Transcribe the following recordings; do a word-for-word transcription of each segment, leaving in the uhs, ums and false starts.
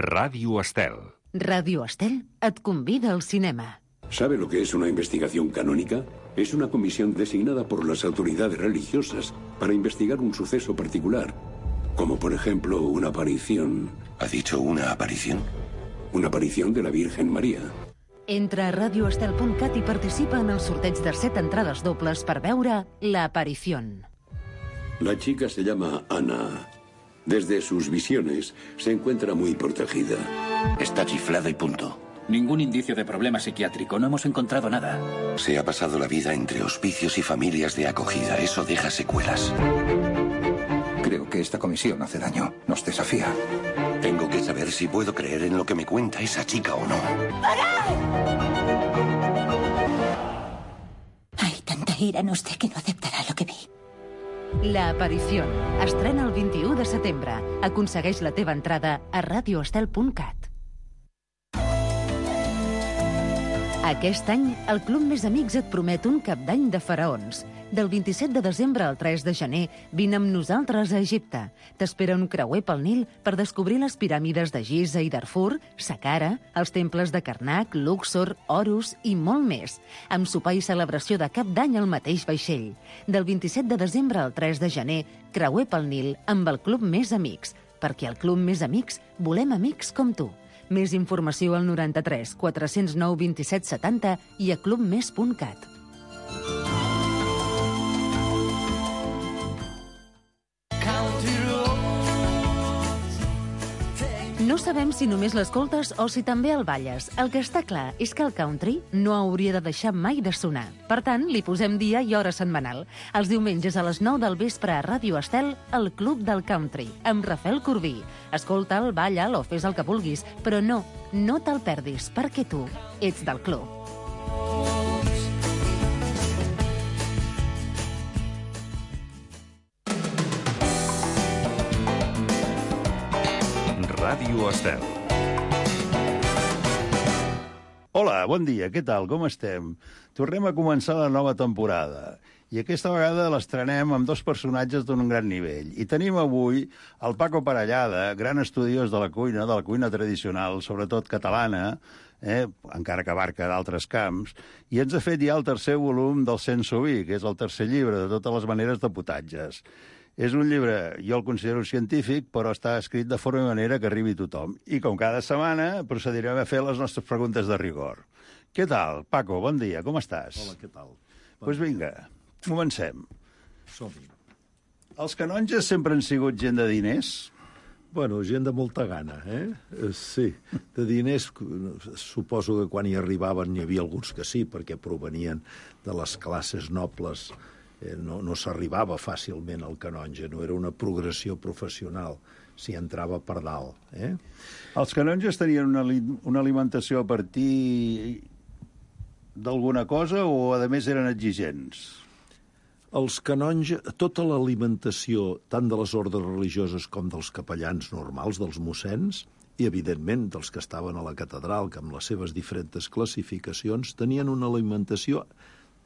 Radio Estel. Radio Estel et convida al cinema. ¿Sabe lo que es una investigación canónica? Es una comisión designada por las autoridades religiosas para investigar un suceso particular, como por ejemplo una aparición. ¿Ha dicho una aparición? Una aparición de la Virgen María. Entra a radio estel punt cat i participa en el sorteig de set entrades dobles per veure La Aparición. La chica se llama Ana. Desde sus visiones se encuentra muy protegida. Está chiflada y punto. Ningún indicio de problema psiquiátrico. No hemos encontrado nada. Se ha pasado la vida entre hospicios y familias de acogida. Eso deja secuelas. Creo que esta comisión hace daño. Nos desafía. Tengo que saber si puedo creer en lo que me cuenta esa chica o no. ¡Parad! Hay tanta ira en usted que no aceptará lo que vi. La Aparición. Estrena el vint-i-u de setembre. Aconsegueix la teva entrada a radio estel punt cat. Aquest any, el Club Més Amics et promet un cap d'any de faraons. Del vint-i-set de desembre al tres de gener, vine amb nosaltres a Egipte. T'espera un creuer pel Nil per descobrir les piràmides de Giza i Darfur, Saqqara, els temples de Karnak, Luxor, Horus i molt més. Amb sopar i celebració de cap d'any al mateix vaixell. Del vint-i-set de desembre al tres de gener, creuer pel Nil amb el Club Més Amics. Perquè al Club Més Amics volem amics com tu. Més informació al noranta-tres quatre-cents nou vint-i-set setanta i a clubmes punt cat. No sabem si només l'escoltes o si també el balles. El que està clar és que el country no hauria de deixar mai de sonar. Per tant, li posem dia i hora setmanal. Els diumenges a les nou del vespre a Ràdio Estel, el Club del Country, amb Rafael Corbí. Escolta'l, balla'l o fes el que vulguis, però no, no te'l perdis, perquè tu ets del club. Ràdio Estel. Hola, bon dia, què tal, com estem? Tornem a començar la nova temporada. I aquesta vegada l'estrenem amb dos personatges d'un gran nivell. I tenim avui el Paco Parellada, gran estudiós de la cuina, de la cuina tradicional, sobretot catalana, eh, encara que abarca d'altres camps, i ens ha fet ja el tercer volum del Sense Vi, que és el tercer llibre de totes les maneres de potatges. És un llibre, jo el considero científic, però està escrit de forma i manera que arribi a tothom. I com cada setmana procedirem a fer les nostres preguntes de rigor. Què tal, Paco? Bon dia, com estàs? Hola, què tal? Doncs pues vinga, comencem. Som-hi. Els canonges sempre han sigut gent de diners? Bueno, gent de molta gana, eh? Sí, de diners, suposo que quan hi arribaven n'hi havia alguns que sí, perquè provenien de les classes nobles. Eh, no, no s'arribava fàcilment al canonge, no era una progressió professional, s'hi entrava per dalt. Eh? Els canonges tenien una, una alimentació a partir d'alguna cosa o, a més, eren exigents? Els canonges, tota l'alimentació, tant de les ordes religioses com dels capellans normals, dels mossens, i, evidentment, dels que estaven a la catedral, que amb les seves diferents classificacions tenien una alimentació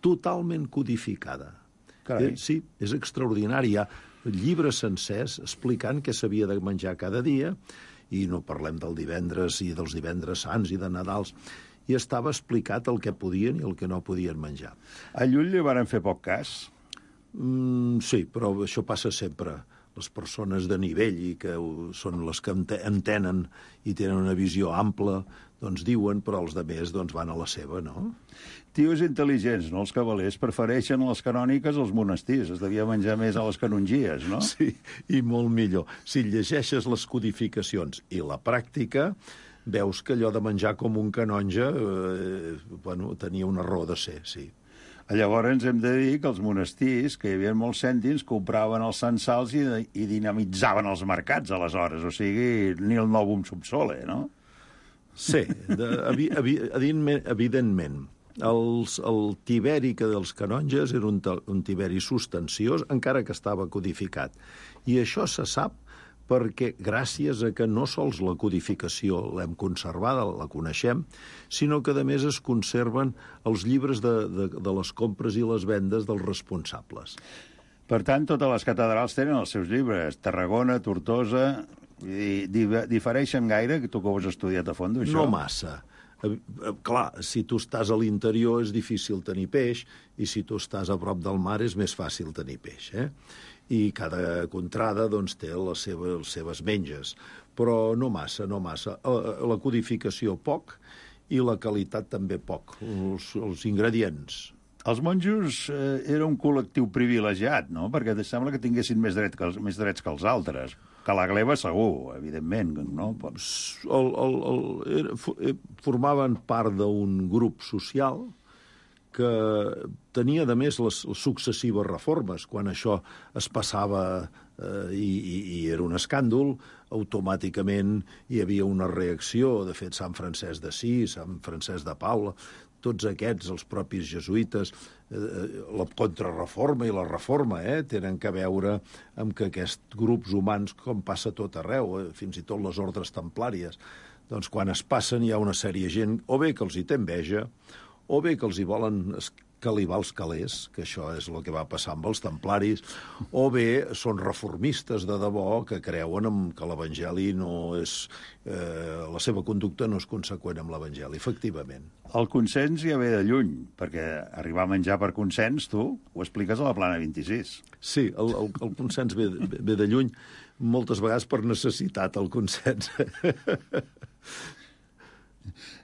totalment codificada. Eh, sí, és extraordinari. Hi ha llibres sencers explicant què s'havia de menjar cada dia, i no parlem del divendres i dels divendres sants i de Nadals, i estava explicat el que podien i el que no podien menjar. A Llull li varen fer poc cas? Mm, sí, però això passa sempre. Les persones de nivell i que són les que entenen i tenen una visió ampla, doncs diuen, però els altres doncs, van a la seva, no? Tios intel·ligents, no? Els cavalers prefereixen les canòniques als monestirs. Es devia menjar més a les canongies, no? Sí, i molt millor. Si llegeixes les codificacions i la pràctica, veus que allò de menjar com un canonge eh, bueno, tenia una raó de ser, sí. Llavors hem de dir que els monestirs, que hi havia molts cèntims, compraven els censals i, i dinamitzaven els mercats, aleshores. O sigui, ni el novum subsole, no? Sí, de, evi, evi, evidentment. Els, el tiberi que dels canonges era un, un tiberi substanciós, encara que estava codificat. I això se sap perquè gràcies a que no sols la codificació l'hem conservada, la coneixem, sinó que a més es conserven els llibres de, de, de les compres i les vendes dels responsables. Per tant, totes les catedrals tenen els seus llibres. Tarragona, Tortosa I difereixen gaire, que tu que ho has estudiat a fons, això? No massa. Clar, si tu estàs a l'interior és difícil tenir peix, i si tu estàs a prop del mar és més fàcil tenir peix, eh? I cada contrada doncs, té les seves, les seves menges, però no massa, no massa. La codificació poc i la qualitat també poc, els, els ingredients. Els monjos eh, era un col·lectiu privilegiat, no? Perquè te sembla que tinguessin més, dret que els, més drets que els altres. Que la gleba segur, evidentment, no? El, el, el, era, formaven part d'un grup social que tenia, a més, les, les successives reformes. Quan això es passava eh, i, i, i era un escàndol, automàticament hi havia una reacció. De fet, Sant Francesc d'Assís, Sant Francesc de Paula, tots aquests, els propis jesuïtes, eh, la contrarreforma i la reforma, eh, tenen que veure amb que aquests grups humans, com passa tot arreu, eh, fins i tot les ordres templàries, doncs quan es passen hi ha una sèrie de gent, o bé que els hi té enveja, o bé que els hi volen calibar els calés, que això és el que va passar amb els templaris, o bé són reformistes de debò que creuen en que l'Evangeli no és... Eh, la seva conducta no és conseqüent amb l'Evangeli, efectivament. El consens ja ve de lluny, perquè arribar a menjar per consens, tu, ho expliques a la Plana vint-i-sis. Sí, el, el, el consens ve, ve de lluny, moltes vegades per necessitat, el consens.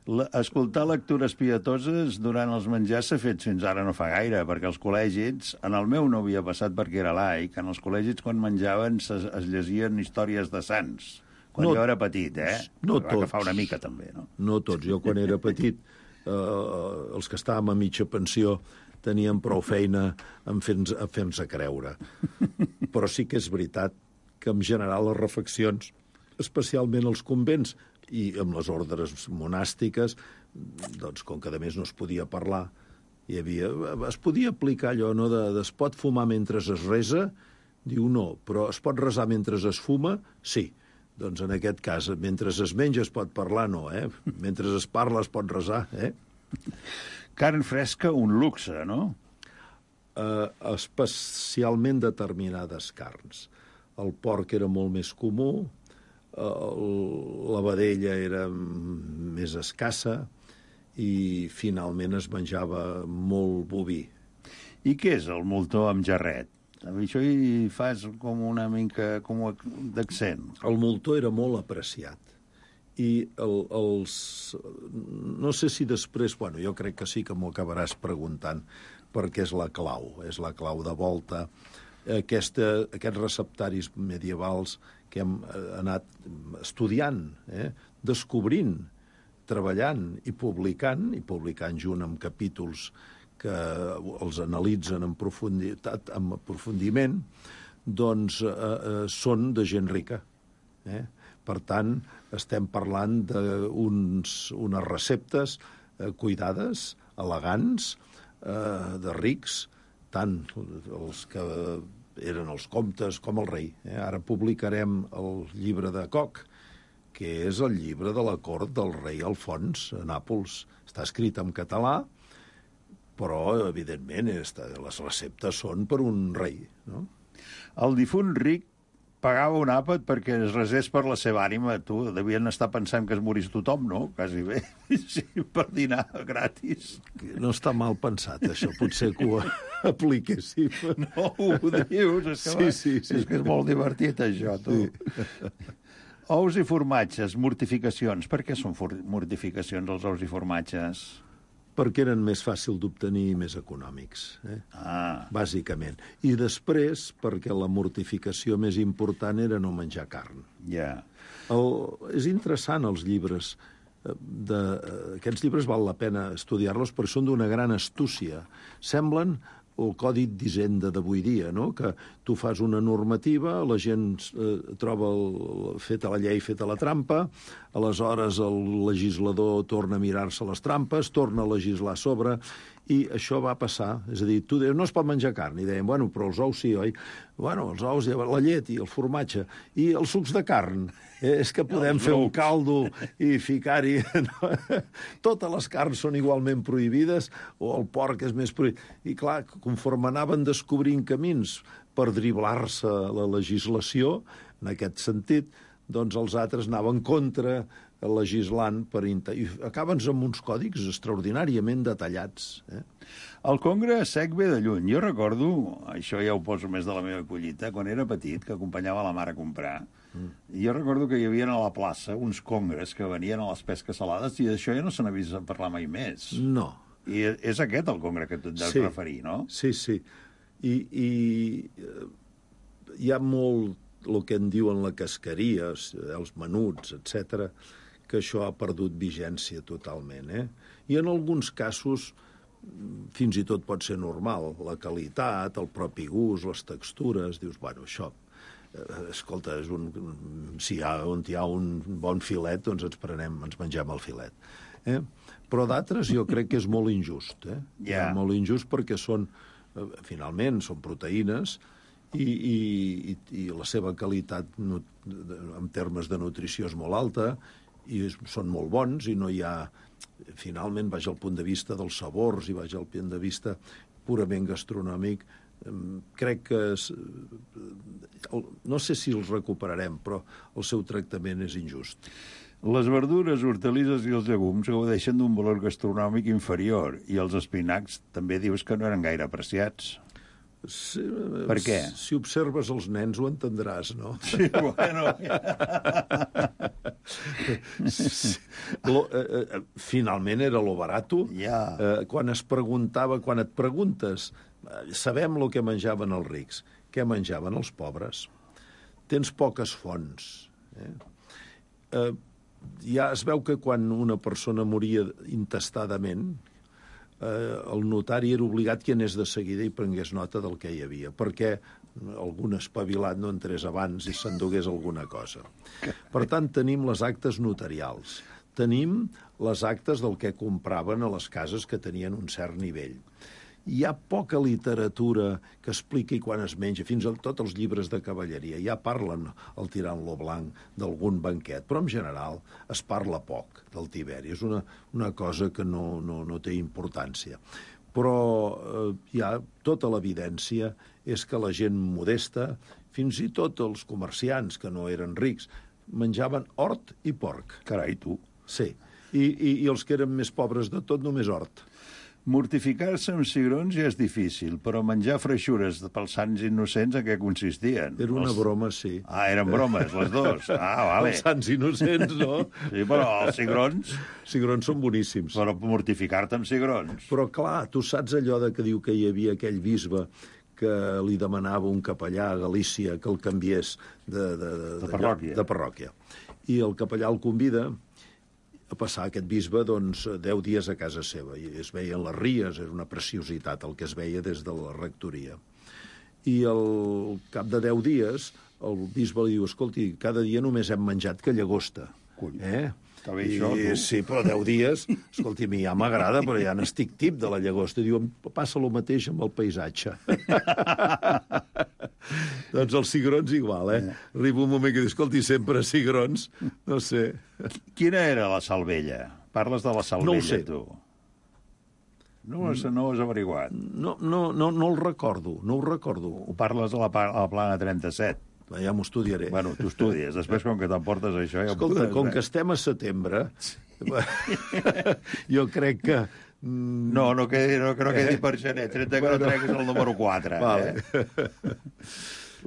La, escoltar lectures pietoses durant els menjars s'ha fet fins ara no fa gaire, perquè els col·legis, en el meu no havia passat perquè era laic, en els col·legis quan menjaven es, es llegien històries de sants, quan no, jo era petit, eh? No va tots. agafar una mica també, no? No tots. Jo quan era petit, eh, els que estàvem a mitja pensió teníem prou feina en fer-nos a fer-nos a creure. Però sí que és veritat que en general les refeccions, especialment els convents, i amb les ordres monàstiques, doncs, com que a més no es podia parlar, hi havia, es podia aplicar allò, no?, de, de es pot fumar mentre es resa? Diu no, però es pot resar mentre es fuma? Sí. Doncs en aquest cas, mentre es menja es pot parlar? No, eh? Mentre es parla es pot resar, eh? Carn fresca, un luxe, no? Uh, especialment determinades carns. El porc era molt més comú, la vedella era més escassa i finalment es menjava molt boví. I què és el moltó amb jarret? Això hi fas com una mica com d'accent. El moltó era molt apreciat. I el, els... No sé si després... Bueno, jo crec que sí que m'ho acabaràs preguntant, perquè és la clau, és la clau de volta. Aquesta, aquests receptaris medievals que hem anat estudiant, eh? descobrint, treballant i publicant, i publicant junt amb capítols que els analitzen en profunditat, amb aprofundiment, doncs eh, eh, són de gent rica. Eh? Per tant, estem parlant d'unes receptes eh, cuidades, elegants, eh, de rics, tant els que eren els comtes com el rei. Eh? Ara publicarem el llibre de Koch, que és el llibre de la cort del rei Alfons a Nàpols. Està escrit en català, però, evidentment, les receptes són per un rei. No? El difunt ric pagava un àpat perquè es resés per la seva ànima. Tu, devien estar pensant que es morís tothom, no? Quasi bé. Sí, per dinar gratis. No està mal pensat, això. Potser que ho apliquéssim. No, ho dius. És que, sí, sí, sí. És que és molt divertit, això, tu. Sí. Ous i formatges, mortificacions. Per què són mortificacions, els ous i formatges? Perquè eren més fàcil d'obtenir i més econòmics, eh? Ah. Bàsicament. I després, perquè la mortificació més important era no menjar carn. Ja. Yeah. És interessant, els llibres. De, aquests llibres val la pena estudiar-los perquè són d'una gran astúcia. Semblen el codi d'Hisenda d'avui dia, no? Que tu fas una normativa, la gent eh, troba el, feta la llei, feta la trampa, aleshores el legislador torna a mirar-se les trampes, torna a legislar a sobre, i això va passar. És a dir, tu deies, no es pot menjar carn, i deien, bueno, però els ous sí, oi? Bueno, els ous, la llet i el formatge, i els sucs de carn. Eh, és que podem fer un caldo i ficar-hi... No? Totes les carns són igualment prohibides, o el porc és més prohibit. I clar, conforme anaven descobrint camins per driblar-se la legislació, en aquest sentit, doncs els altres anaven contra legislant per... I acaben amb uns còdics extraordinàriament detallats. Eh? El congre sec ve de lluny. Jo recordo, això ja ho poso més de la meva collita, quan era petit, que acompanyava la mare a comprar, mm. i jo recordo que hi havia a la plaça uns congres que venien a les pesques salades i d'això ja no se n'ha vist a parlar mai més. No. I és aquest el congre que tu et deus sí. referir, no? Sí, sí. I, i hi ha molt el que en diuen la casqueria, els menuts, etcètera, que això ha perdut vigència totalment. Eh? I en alguns casos fins i tot pot ser normal. La qualitat, el propi gust, les textures, dius, bueno, això, eh, escolta, és un, si hi ha, on hi ha un bon filet, doncs ens prenem, ens mengem el filet. Eh? Però d'altres jo crec que és molt injust. Eh? Yeah. Molt injust perquè són, eh, finalment, són proteïnes, I, i, i, i la seva qualitat no, en termes de nutrició és molt alta i és, són molt bons i no hi ha, finalment, vaig al punt de vista dels sabors i vaig al punt de vista purament gastronòmic, crec que és, no sé si els recuperarem, però el seu tractament és injust. Les verdures, hortalisses i els llegums gaudeixen d'un valor gastronòmic inferior i els espinacs també dius que no eren gaire apreciats. Sí, per què? Si observes els nens ho entendràs, no? Sí, bueno... sí. Lo, eh, eh, finalment era lo barato. Yeah. Eh, quan es preguntava, quan et preguntes, eh, sabem el que menjaven els rics, què menjaven els pobres? Tens poques fonts. Eh? Eh, ja es veu que quan una persona moria intestadament, Eh, el notari era obligat que anés de seguida i prengués nota del que hi havia, perquè algun espavilat no entrés abans i s'endugués alguna cosa. Per tant, tenim les actes notarials, tenim les actes del que compraven a les cases que tenien un cert nivell. Hi ha poca literatura que expliqui quan es menja, fins i tot els llibres de cavalleria. Ja parlen, el tirant-lo blanc, d'algun banquet, però en general es parla poc del tiberi. És una, una cosa que no, no, no té importància. Però eh, hi ha tota l'evidència és que la gent modesta, fins i tot els comerciants que no eren rics, menjaven hort i porc. Carai, tu. Sí, i, i, i els que eren més pobres de tot, només hort. Mortificar-se amb cigrons ja és difícil, però menjar freixures pels sants innocents en què consistien? Era una els... broma, sí. Ah, eren bromes, les dues. Ah, vale. Els sants innocents, no? Sí, però els cigrons... Cigrons són boníssims. Però mortificar-te amb cigrons. Però, clar, tu saps allò de que diu que hi havia aquell bisbe que li demanava un capellà a Galícia que el canviés de, de, de, de, parròquia. de parròquia. I el capellà el convida a passar aquest bisbe doncs, deu dies a casa seva. I es veien les ries, era una preciositat el que es veia des de la rectoria. I al cap de deu dies el bisbe li diu, escolti, cada dia només hem menjat que llagosta. Eh? Està bé això, I, tu. sí, però deu dies, escolti, a mi ja m'agrada, però ja n'estic tip de la llagosta. I diu, passa el mateix amb el paisatge. Doncs els cigrons igual, eh? Arriba un moment que dius, escolti, sempre cigrons, no sé. Quina era la salvella? Parles de la salvella, no ho sé. tu. No ho has, no ho has averiguat. No, no, no, no el recordo, no ho recordo. Ho parles a la, a la plana trenta-set. Ja m'ho estudiaré. Bueno, tu estudies. Després, com que t'emportes això... Ja Escolta, podràs, com eh? que estem a setembre, jo crec que... Mm... No, no, quedi, no, que no quedi per gener. trenta que no treguis el número quatre. Vale. Eh?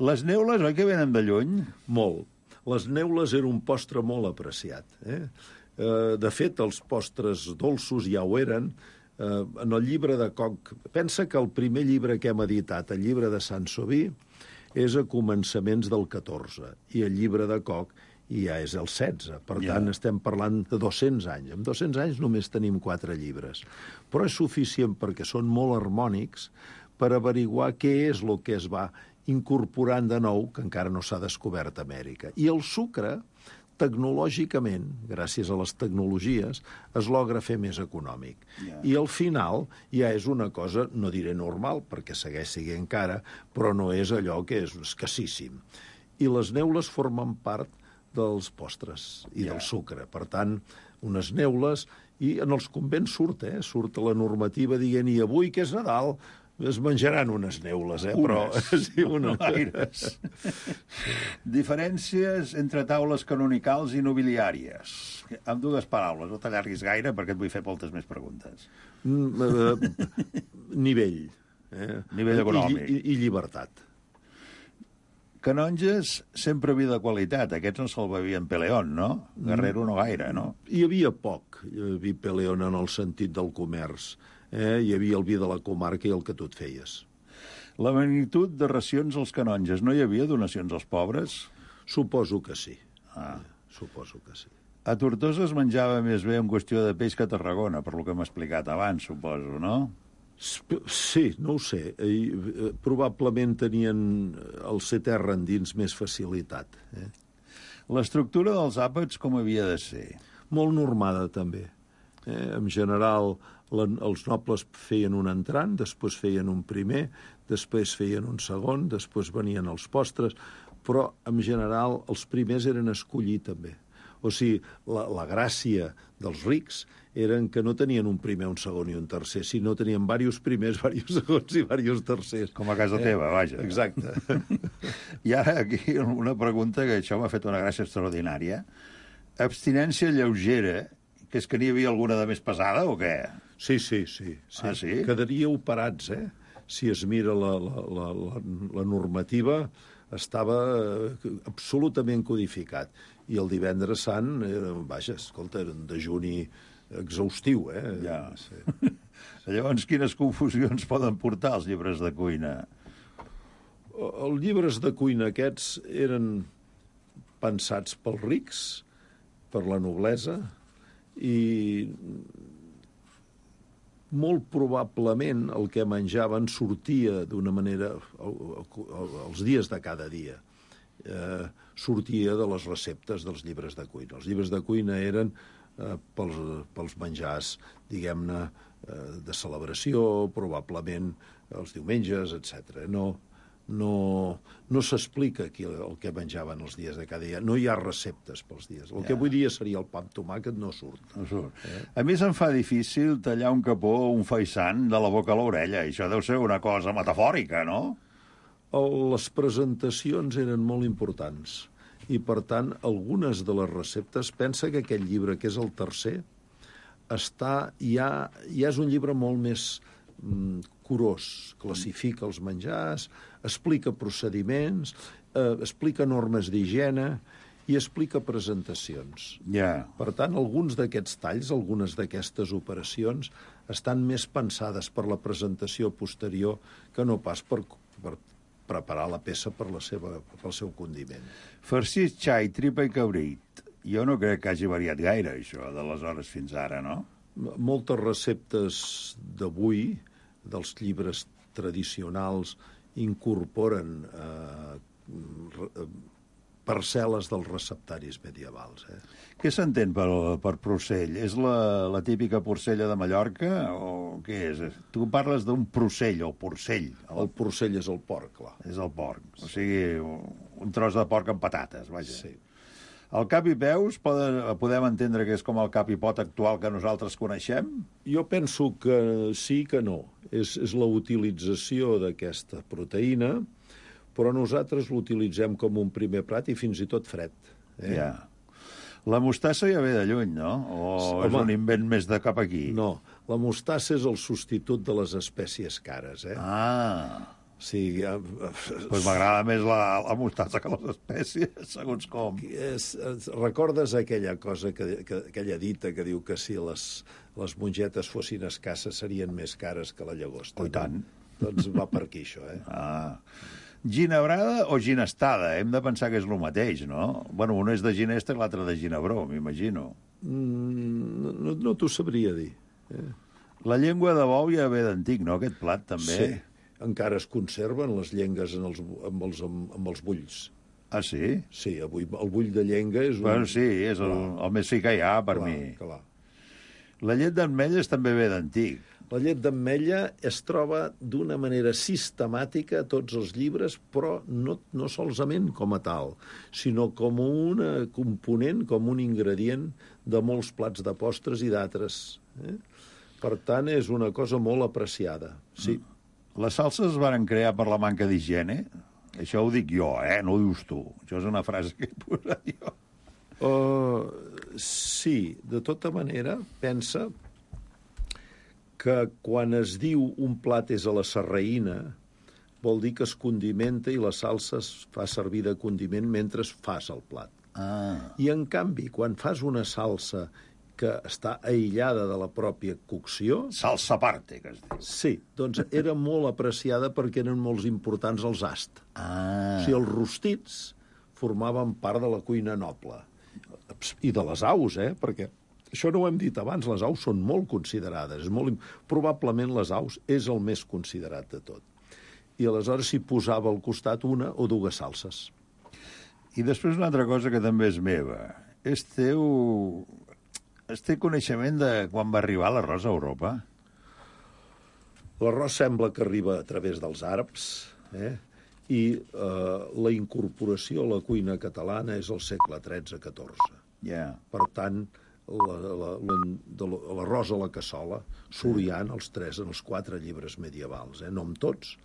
Les neules, oi que venen de lluny? Molt. Les neules era un postre molt apreciat. Eh? De fet, els postres dolços ja ho eren. En el llibre de Koch... Pensa que el primer llibre que hem editat, el llibre de Saint-Sauvy, és a començaments del catorze, i el llibre de Koch ja és el setze. Per tant, yeah. estem parlant de dos-cents anys. En dos-cents anys només tenim quatre llibres. Però és suficient perquè són molt harmònics per averiguar què és el que es va incorporant de nou, que encara no s'ha descobert a Amèrica. I el sucre, tecnològicament, gràcies a les tecnologies, es logra fer més econòmic. Yeah. I al final ja és una cosa, no diré normal, perquè segueix sent encara, però no és allò que és escassíssim. I les neules formen part dels postres i yeah. del sucre. Per tant, unes neules, i en els convents surt, eh? Surt la normativa dient, i avui que és Nadal, Es menjaran unes neules, eh? Unes. Però, sí, una... No gaires. Diferències entre taules canonicals i nobiliàries. Amb dues paraules, no t'allarguis gaire perquè et vull fer moltes més preguntes. Mm, eh, nivell. Eh? Nivell econòmic. I, i, i llibertat. Canonges, sempre vi de qualitat. Aquests no se'l bevien Peleón, no? Guerrero no gaire, no? Hi havia poc vi Peleón en el sentit del comerç. Eh? Hi havia el vi de la comarca i el que tu et feies. La magnitud de racions als canonges. No hi havia donacions als pobres? Suposo que sí. Ah. Eh? Suposo que sí. A Tortosa es menjava més bé en qüestió de peix que a Tarragona, per lo que m'ha explicat abans, suposo, no? Sí, no ho sé. Eh, probablement tenien el ser terra endins més facilitat. Eh? L'estructura dels àpats com havia de ser? Molt normada, també. Eh? En general, la, els nobles feien un entrant, després feien un primer, després feien un segon, després venien els postres, però, en general, els primers eren escollir, també. O sigui, la, la gràcia dels rics eren que no tenien un primer, un segon i un tercer, sinó tenien diversos primers, diversos segons i diversos tercers. Com a casa eh? teva, vaja. Exacte. I ara aquí una pregunta que això m'ha fet una gràcia extraordinària. Abstinència lleugera, que és que n'hi havia alguna de més pesada o què? Sí, sí, sí. sí. Ah, sí? Quedaríeu parats, eh? Si es mira la, la, la, la, la normativa, estava absolutament codificat. I el divendres sant, era, vaja, escolta, era un dejuni exhaustiu, eh? Ja. Sí. Llavors, quines confusions poden portar els llibres de cuina? Els llibres de cuina aquests eren pensats pels rics, per la noblesa, i molt probablement el que menjaven sortia d'una manera els dies de cada dia. Eh, sortia de les receptes dels llibres de cuina. Els llibres de cuina eren eh, pels, pels menjars, diguem-ne, eh, de celebració, probablement els diumenges, etcètera. No, no, no s'explica aquí el que menjaven els dies de cada dia. No hi ha receptes pels dies. El ja. que avui dia seria el pa amb tomàquet no surt. No surt. Eh? A mi se'm fa difícil tallar un capó o un faisán de la boca a l'orella. Això deu ser una cosa metafòrica, no? Les presentacions eren molt importants i, per tant, algunes de les receptes... Pensa que aquest llibre, que és el tercer, està, ja, ja és un llibre molt més mm, curós. Classifica els menjars, explica procediments, eh, explica normes d'higiene i explica presentacions. Yeah. Per tant, alguns d'aquests talls, algunes d'aquestes operacions, estan més pensades per la presentació posterior que no pas per... per preparar la peça per la seva, pel seu condiment. Farcís, xai, tripa i cabrit. Jo no crec que hagi variat gaire, això, d'aleshores fins ara, no? Moltes receptes d'avui, dels llibres tradicionals, incorporen eh, parcel·les dels receptaris medievals. Eh? Què s'entén per, per porcell? És la, la típica porcella de Mallorca o què és? Tu parles d'un porcell o porcell. El porcell és el porc, clar. És el porc. O sigui, un tros de porc amb patates, vaja. Sí. El cap i peus poden, podem entendre que és com el cap i pot actual que nosaltres coneixem? Jo penso que sí que no. És, és la utilització d'aquesta proteïna, però nosaltres l'utilitzem com un primer plat i fins i tot fred. Eh? Ja. La mostassa ja ve de lluny, no? O Home, és un invent més de cap aquí? No, la mostassa és el substitut de les espècies cares. Eh? Ah. Sí, ja... pues m'agrada més la, la mostassa que les espècies, segons com. És, recordes aquella cosa, que, que, aquella dita que diu que si les, les mongetes fossin escasses serien més cares que la llagosta? Oh, i tant. Doncs va per aquí, això, eh? Ah. Ginebrada o ginestada? Hem de pensar que és el mateix, no? Bueno, un és de ginesta i l'altre de ginebró, m'imagino. Mm, no no t'ho sabria dir. Eh? La llengua de bou ja ve d'antic, no, aquest plat, també? Sí, encara es conserven les llengues en els, amb, els, amb, amb els bulls. Ah, sí? Sí, avui el bull de llenga és un... Bueno, sí, és el, el més fi que hi ha, per clar, mi. Clar. La llet d'ametlles també ve d'antic. La llet d'ametlla es troba d'una manera sistemàtica a tots els llibres, però no, no solament com a tal, sinó com un component, com un ingredient de molts plats de postres i d'altres. Eh? Per tant, és una cosa molt apreciada, sí. Les salses es van crear per la manca d'higiene? Això ho dic jo, eh? No ho dius tu. Això és una frase que he posat jo. Uh, sí, de tota manera, pensa que quan es diu un plat és a la sarraïna, vol dir que es condimenta i la salsa es fa servir de condiment mentre fas el plat. Ah. I, en canvi, quan fas una salsa que està aïllada de la pròpia cocció... Salsa aparte, que es diu. Sí, doncs era molt apreciada perquè eren molt importants els ast. Ah. O sigui, els rostits formaven part de la cuina noble. I de les aus, eh? Perquè això no ho hem dit abans, les aus són molt considerades. És molt... Probablement les aus és el més considerat de tot. I aleshores s'hi posava al costat una o dues salses. I després una altra cosa que també és meva. És teu... És teu coneixement de quan va arribar l'arròs a Europa? L'arròs sembla que arriba a través dels àrabs, eh? I eh, la incorporació a la cuina catalana és al segle tretze catorze. Yeah. Per tant, l'arròs a la cassola surt ja en els tres, en els quatre llibres medievals, eh? No amb tots.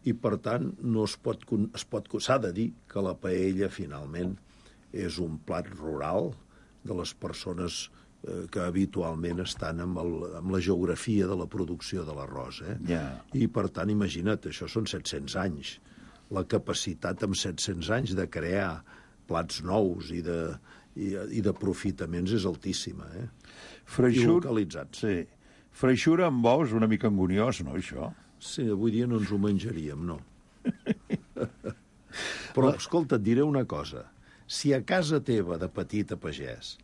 I, per tant, no es pot, es pot, s'ha de dir que la paella, finalment, és un plat rural de les persones eh, que habitualment estan amb, el, amb la geografia de la producció de l'arròs. Eh? Yeah. I, per tant, imagina't, això són set-cents anys. La capacitat amb set-cents anys de crear plats nous i de, i, i d'aprofitaments és altíssima. Eh? Freixur... I localitzats. Sí. Freixura amb ous una mica anguniós, no, això? Sí, avui dia no ens ho menjaríem, no. Però, escolta, et diré una cosa. Si a casa teva, de petit a pagès,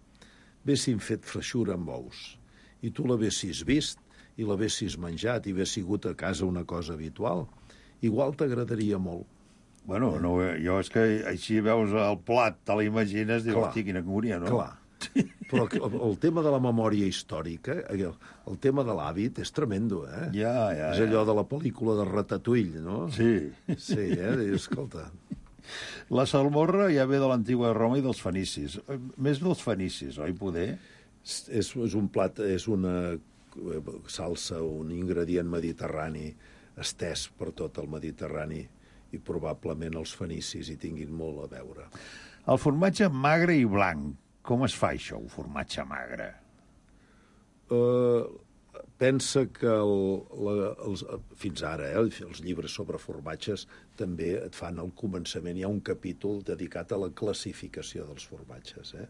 haguessin fet freixura amb ous i tu l'haguessis vist i l'haguessis menjat i hagués sigut a casa una cosa habitual, igual t'agradaria molt. Bueno, no, jo és que així veus el plat, te l'imagines, dius, Clar. hosti, quina angúnia, no? Clar. Però el, el tema de la memòria històrica, el, el tema de l'hàbit és tremendo, eh? Ja, ja, és allò ja. de la pel·lícula de Ratatouille, no? Sí. Sí, eh? Dius, escolta... La salmorra ja ve de l'antiga Roma i dels fenicis. Més dels fenicis, oi, poder? És, és un plat, és una salsa, un ingredient mediterrani estès per tot el Mediterrani i probablement els fenicis hi tinguin molt a veure. El formatge magre i blanc. Com es fa això, un formatge magre? Uh, pensa que el, la, els, fins ara eh, els llibres sobre formatges també et fan al començament, hi ha un capítol dedicat a la classificació dels formatges. Eh?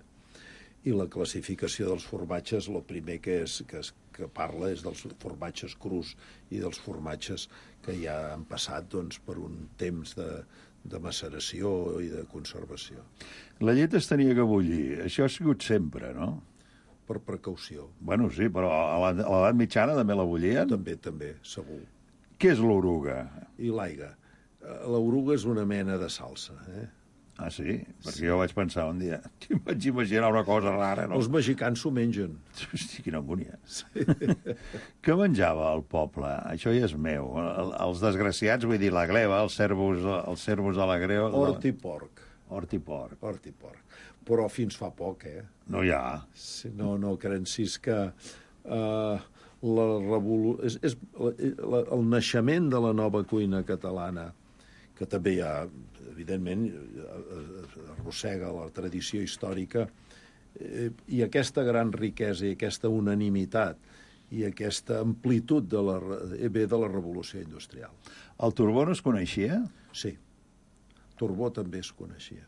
I la classificació dels formatges, el primer que, és, que, és, que parla és dels formatges crus i dels formatges que ja han passat doncs, per un temps de, de maceració i de conservació. La llet es tenia que bullir. Això ha sigut sempre, no? Per precaució. Bueno, sí, però a l'edat mitjana també la bullien? També, també, segur. Què és l'oruga? I l'aigua. L'oruga és una mena de salsa, eh? Ah, sí? Perquè sí. Jo vaig pensar un dia... Vaig imaginar una cosa rara, no? Els mexicans s'ho mengen. Hosti, quina angúnia. Sí. Què menjava el poble? Això ja és meu. Els desgraciats, vull dir, la gleva, els servos, els servos de la greva... Hort i porc. Hort i porc. Hort i porc. Però fins fa poc, eh? No hi ha. Sí, no, no, Crencis, que uh, la revolu... és, és la, el naixement de la nova cuina catalana, que també hi ha, evidentment, arrossega la tradició històrica, eh, i aquesta gran riquesa i aquesta unanimitat i aquesta amplitud de la, ve de la revolució industrial. El turbó no es coneixia? Sí. Turbó també es coneixia.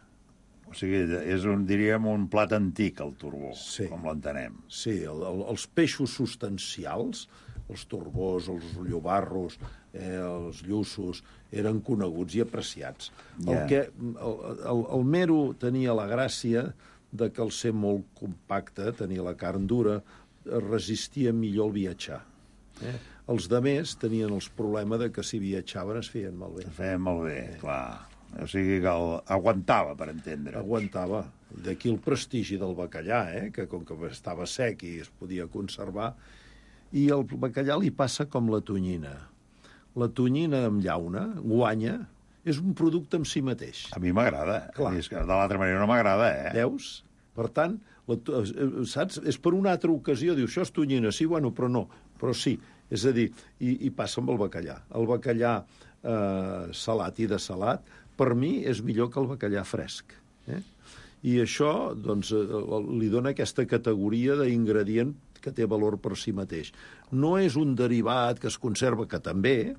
O sigui, és un, diríem, un plat antic, el turbó, sí. Com l'entenem. Sí, el, el, els peixos substancials, els turbós, els llobarros, eh, els llussos, eren coneguts i apreciats. Yeah. El, que, el, el, el mero tenia la gràcia de que al ser molt compacte, tenia la carn dura, resistia millor el viatjar. Eh? Els de més tenien els problemes de que si viatjaven es feien malbé. Es feien malbé, eh. clar. O sigui que el, aguantava, per entendre. Aguantava. D'aquí el prestigi del bacallà, eh? Que com que estava sec i es podia conservar. I el bacallà li passa com la tonyina. La tonyina amb llauna guanya, és un producte en si mateix. A mi m'agrada. De l'altra manera no m'agrada, eh? Veus? Per tant, la, saps? És per una altra ocasió. Diu, això és tonyina, sí, bueno, però no. Però sí, És a dir, i, i passa amb el bacallà. El bacallà eh, salat i de salat, per mi, és millor que el bacallà fresc. Eh? I això doncs, li dona aquesta categoria d'ingredient que té valor per si mateix. No és un derivat que es conserva, que també,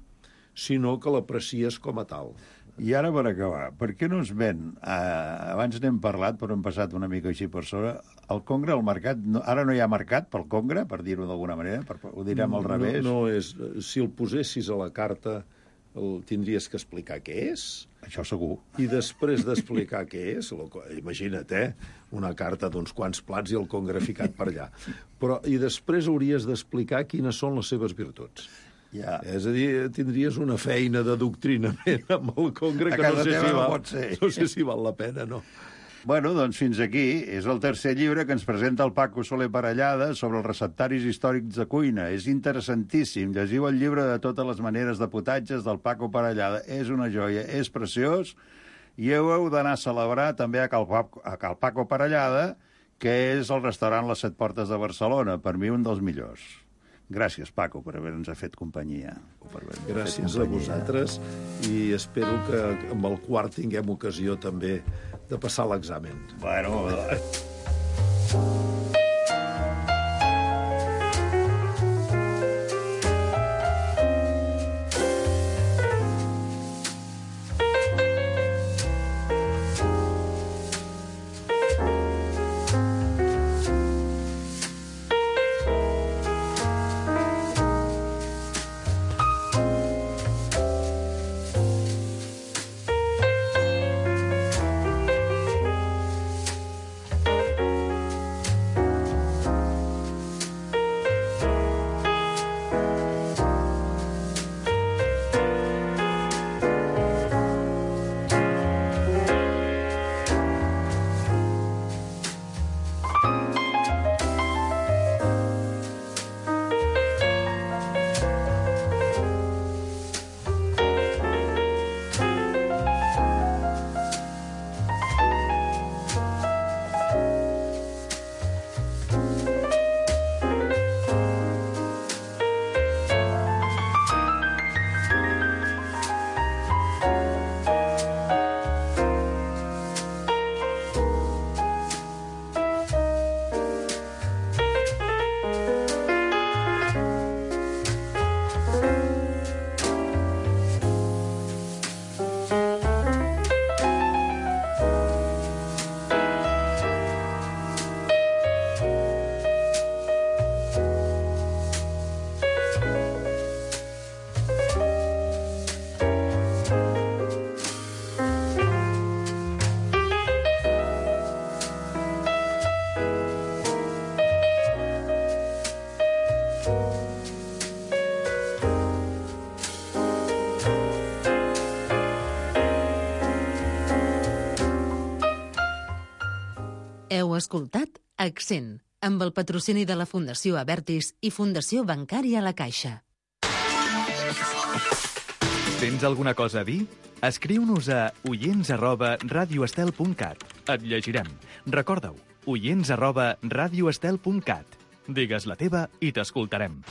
sinó que l'aprecies com a tal. I ara, per acabar, per què no es ven, eh, abans n'hem parlat, però hem passat una mica així per sobre, el congre al mercat, no, ara no hi ha mercat pel congre, per dir-ho d'alguna manera, per, ho direm al revés? No, no és, si el posessis a la carta, el tindries que explicar què és. Això segur. I després d'explicar què és, imagina't, eh? Una carta d'uns quants plats i el congre ficat per allà. Però, i després hauries d'explicar quines són les seves virtuts. Ja. És a dir, tindries una feina de doctrinament amb el congre que no sé, si no, val, no sé si val la pena, no. Bueno, doncs fins aquí. És el tercer llibre que ens presenta el Paco Soler Parellada sobre els receptaris històrics de cuina. És interessantíssim. Llegiu el llibre de totes les maneres de potatges del Paco Parellada. És una joia, és preciós. I heu d'anar a celebrar també a Cal, a Cal Paco Parellada, que és el restaurant Les Set Portes de Barcelona. Per mi, un dels millors. Gràcies, Paco, per haver-nos fet companyia. Per Gràcies a vosaltres i espero que amb el quart tinguem ocasió també de passar l'examen. Bueno... Heu escoltat Accent, amb el patrocini de la Fundació Abertis i Fundació Bancària La Caixa. Tens alguna cosa a dir? Escriu-nos a oients arroba radioestel punt cat. Et llegirem. Recorda-ho, oients arroba radioestel punt cat. Digues la teva i t'escoltarem.